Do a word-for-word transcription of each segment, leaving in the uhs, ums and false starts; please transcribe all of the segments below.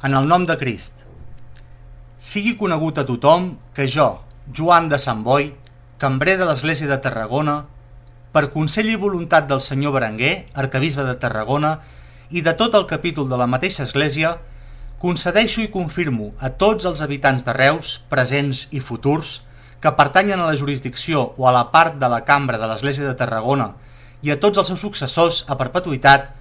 En el nom de Crist. Sigui conegut a tothom que jo, Joan de Sant Boi, cambrer de l'Església de Tarragona, per consell i voluntat del senyor Berenguer, arquebisbe de Tarragona, i de tot el capítol de la mateixa Església, concedeixo i confirmo a tots els habitants de Reus, presents i futurs, que pertanyen a la jurisdicció o a la part de la cambra de l'Església de Tarragona i a tots els seus successors a perpetuïtat,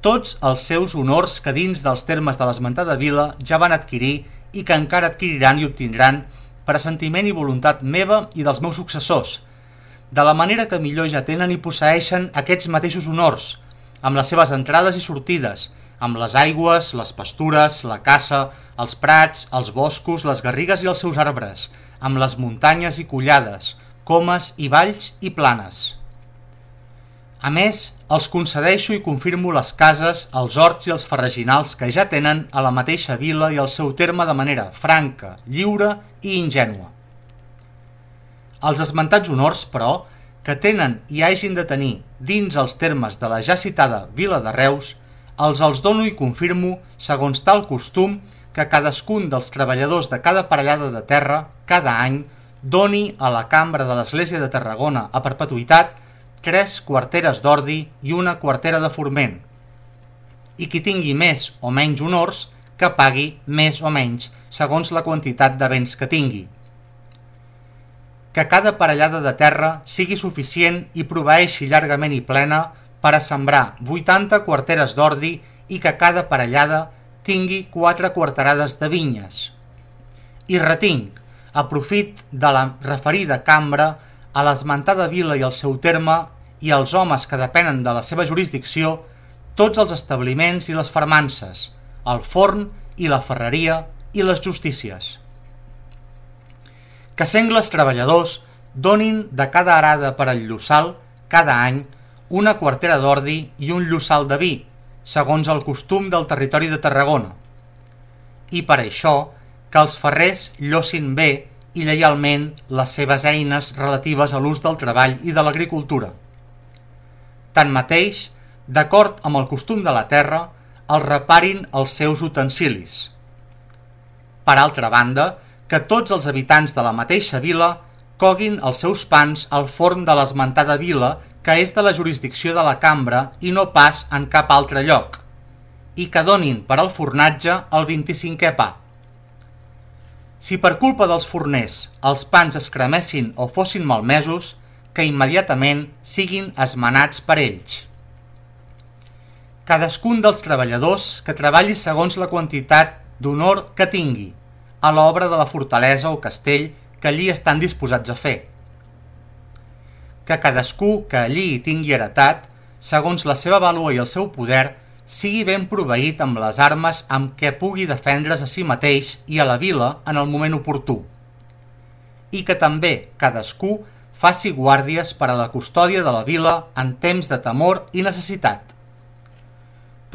tots els seus honors que dins dels termes de l'esmentada vila ja van adquirir i que encara adquiriran i obtindran per assentiment i voluntat meva i dels meus successors, de la manera que millor ja tenen i posseeixen aquests mateixos honors, amb les seves entrades i sortides, amb les aigües, les pastures, la caça, els prats, els boscos, les garrigues i els seus arbres, amb les muntanyes i collades, comes i valls i planes. A més, els concedeixo i confirmo les cases, els horts i els farreginals que ja tenen a la mateixa vila i al seu terme de manera franca, lliure i ingènua. Els esmentats honors, però, que tenen i hagin de tenir dins els termes de la ja citada vila de Reus, els els dono i confirmo segons tal costum que cadascun dels treballadors de cada parellada de terra, cada any, doni a la cambra de l'Església de Tarragona a perpetuïtat tres quarteres d'ordi i una quartera de forment, i qui tingui més o menys honors, que pagui més o menys, segons la quantitat de béns que tingui. Que cada parellada de terra sigui suficient i proveeixi llargament i plena per a sembrar vuitanta quarteres d'ordi i que cada parellada tingui quatre quarterades de vinyes. I retinc, a profit de la referida cambra, a l'esmentada vila i el seu terme i als homes que depenen de la seva jurisdicció, tots els establiments i les fermances, el forn i la ferreria i les justícies. Que sengles treballadors donin de cada arada per al llossal, cada any, una quartera d'ordi i un llossal de vi, segons el costum del territori de Tarragona. I per això, que els ferrers llossin bé i lleialment les seves eines relatives a l'ús del treball i de l'agricultura. Tanmateix, d'acord amb el costum de la terra, els reparin els seus utensilis. Per altra banda, que tots els habitants de la mateixa vila coguin els seus pans al forn de l'esmentada vila, que és de la jurisdicció de la cambra i no pas en cap altre lloc, i que donin per al fornatge el vint-i-cinquè pa. Si per culpa dels forners els pans es cremessin o fossin malmesos, que immediatament siguin esmenats per ells. Cadascun dels treballadors que treballi segons la quantitat d'honor que tingui a l'obra de la fortalesa o castell que allí estan disposats a fer. Que cadascú que allí hi tingui heretat, segons la seva vàlua i el seu poder, sigui ben proveït amb les armes amb què pugui defendre's a si mateix i a la vila en el moment oportú. I que també cadascú faci guàrdies per a la custòdia de la vila en temps de temor i necessitat.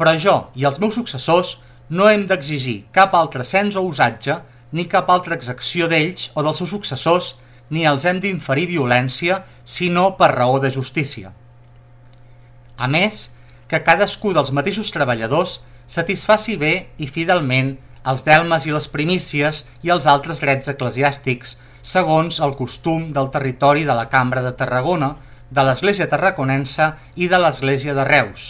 Però jo i els meus successors no hem d'exigir cap altre cens o usatge, ni cap altra exacció d'ells o dels seus successors, ni els hem d'inferir violència, sinó per raó de justícia. A més, que cadascú dels mateixos treballadors satisfaci bé i fidelment els delmes i les primícies i els altres drets eclesiàstics, segons el costum del territori de la Cambra de Tarragona, de l'Església Tarraconense i de l'Església de Reus.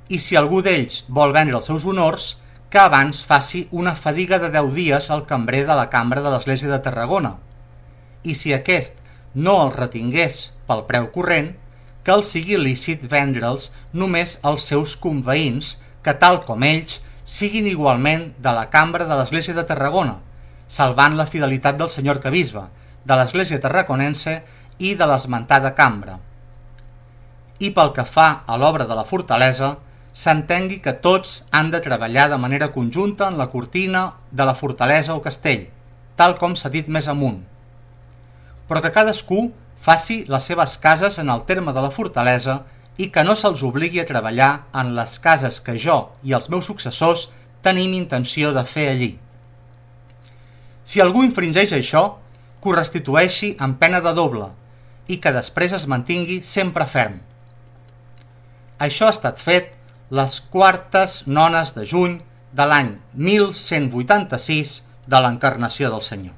I si algú d'ells vol vendre els seus honors, que abans faci una fadiga de deu dies al cambrer de la Cambra de l'Església de Tarragona. I si aquest no els retingués pel preu corrent, que els sigui lícit vendre'ls només als seus conveïns, que tal com ells siguin igualment de la cambra de l'Església de Tarragona, salvant la fidelitat del senyor arquebisbe, de l'Església Tarraconense i de l'esmentada cambra. I pel que fa a l'obra de la fortalesa, s'entengui que tots han de treballar de manera conjunta en la cortina de la fortalesa o castell, tal com s'ha dit més amunt, però que cadascú faci les seves cases en el terme de la fortalesa i que no se'ls obligui a treballar en les cases que jo i els meus successors tenim intenció de fer allí. Si algú infringeix això, que ho restitueixi amb pena de doble i que després es mantingui sempre ferm. Això ha estat fet les quartes nones de juny de l'any mil cent vuitanta-sis de l'encarnació del Senyor.